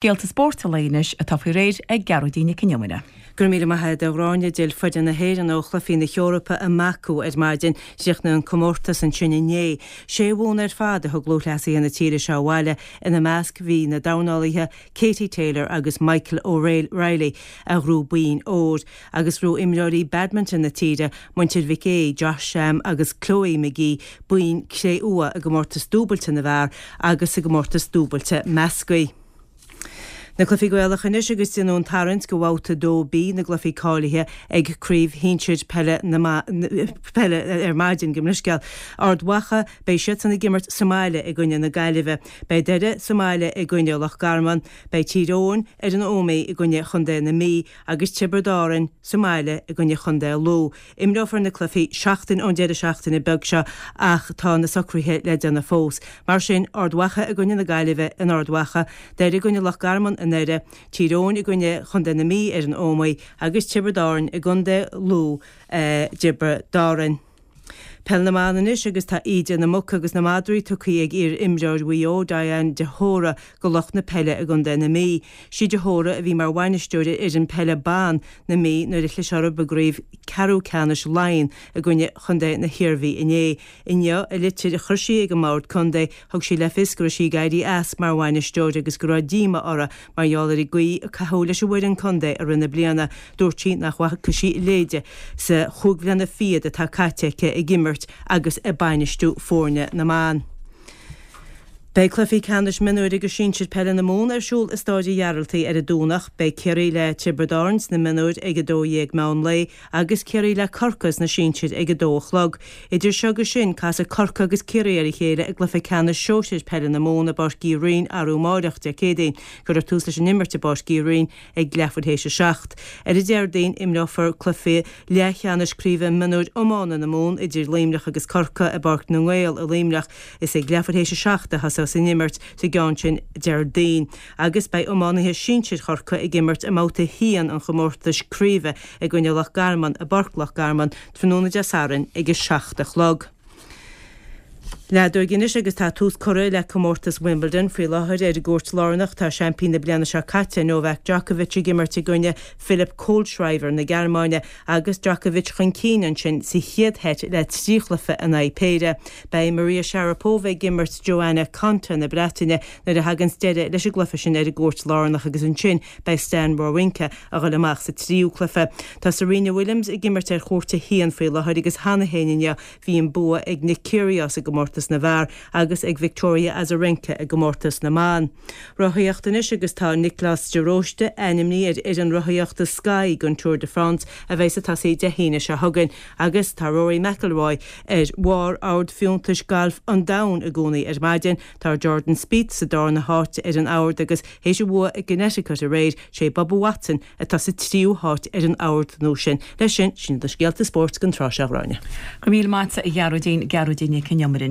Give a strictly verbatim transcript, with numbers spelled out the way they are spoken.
Scéalta spóirt an lae anois atá faoi réir ag Gearóidín Nic Con Iomaire. Go raibh míle maith agat a Ghráinne. D'fhill foireann na hÉireann ó Chluichí na hEorpa i mBaku ar maidin. Chríochnaigh an comórtas ansin inné. Sé bhonn ar fad a thug lúthchleasaithe na tíre seo abhaile, ina measc bhí na dornálaithe Katie Taylor agus Michael O'Reilly a ghnóthaigh boinn óir, agus ghnóthaigh imreoirí badminton na tíre, muintir Mhic Aoidh, Josh, Sam agus Chloe McGee, boinn cré-umha i gcomórtas dúbailte na bhfear agus i gcomórtas dúbailte measctha. Na cluichí Gaelacha anois agus déanadh an tarraingt do bhabhta a dó B na gcluichí cáilithe ag Craobh Shinsir Peile na Peile ar maidin gabh mo leithscéal. Ard Mhacha, beidh siadsan ag imirt sa mbaile i gcoinne na Gaillimhe. Beidh Doire sa mbaile i gcoinne Loch Garman. Beidh Tír Eoghain ar an Ómaigh i gcoinne Chontae na Mí agus Tiobraid Árann sa mbaile i gcoinne Chontae Lú. Imreofar na cluichí seachtain ón deireadh seachtaine beag seo ach tá na socruithe le déanamh fós. Mar sin, Ard Mhacha i gcoinne na Gaillimhe in Ard Mhacha, Doire i gcoinne Loch Garman i nDoire, Tír Eoghain i gcoinne Chontae na Mí ar an Ómaigh agus Tiobraid Árann i gContae Lú i dTiobraid Árann. Peil na mBan anois agus tá íde na muc agus na madraí tugtha ag iar-imreoir Mhaigh Eo, Diane de hÓra, do lucht na peile i gContae na Mí. Sí de hÓra a bhí mar bhainisteoir ar fhoireann peile ban na Mí nuair a chlis orthu i gcraobh ceathrú ceannais Laighean i gcoinne chontae na hIarmhí inné. Inniu, i litir a chuir sí ag an mBord Contae, thug sí le fios go raibh sí ag éirí as mar bhainisteoir agus go raibh díoma uirthi mar gheall ar an gcaoi a caitheadh leis an bhfoireann contae i rith na bliana. Dúirt sí nach bhfaca sí a leithéide sa chúig bhliana fichead atá caite aici ag imirt agus ag bainistiú foirne na mban. Beidh cluichí ceannais mionúir agus sinsir peile na Mumhan ar siúl i Stáid an Ghearaltaigh ar an Domhnach. Beidh Ciarraí le Tiobraid Árann sna mionúir ag a dó dhéag meán lae agus Ciarraí le Corcaigh sna sinsir ag a dó a chlog. Idir seo agus sin, casfaidh Corcaigh agus Ciarraí ar a chéile i gcluiche ceannais sóisir peile na Mumhan i bPáirc Uí Rinn arú amáireach, Dé Céadaoin. Cuirfear tús leis an imirt i bPáirc Uí Rinn ag leathuair théis a seacht. Ar an Déardaoin, imreofar cluiche leathcheannais craoibhe mionúir iomána na Mumhan idir Luimneach agus Corcaigh i bPáirc na nGael i Luimneach. Is ag leathuair théis a seacht a thosós an imirt sa gceann sin Déardaoin. Agus beidh iománaithe sinsir Chorcaí ag imirt i mbabhta a haon an chomórtais craoibhe i gcoinne Loch Garman i bPáirc Loch Garman tráthnóna Dé Sathairn ag a seacht a chlog. Leadóg anois agus tá tús curtha le comórtas Wimbledon. Faoi láthair ar an gcúirt lárnach tá seaimpín na bliana seo caite, Novak Djokovic ag imirt i gcoinne Philipp Kohlschreiber na Gearmáine agus Djokovic chun cinn ansin sa chéad sheit le trí chluiche in aghaidh péire. Beidh Maria Sharapova ag imirt Joanna Konta na Breataine nuair a thaganns deireadh leis an gcluiche sin ar an gcúirt lárnach agus ansin beidh Stan Wawrinka a dhul amach sa tríú cluiche. Tá Serena Williams ag imirt ar chúirt a haon faoi láthair agus cheana féin inniu bhí an bua ag Nick Kyrgios i gcomórtas na bhfear agus ag Victoria Azarenka i gcomórtas na mban. Rothaíocht anois agus tá Nioclás de Róiste ainmnithe ar fhoireann rothaíochta Sky don Tour de France a bheidh ag tosaí Dé hAoine seo chugainn agus tá Rory McIlroy ar bharr ord fiúntais gailf an domhain i gcónaí ar maidin. Tá Jordan Spieth sa darna háit ar an ord agus théis a bhua i gConnecticut aréir, sé Bubba Watson atá sa tríú háit ar an ord nua sin. Leis sin, sin iad na scéalta spóirt don tráth seo, a Ghráinne. Go raibh míle maith agat a Ghearóidín, Gearóidín Nic Con Iomaire.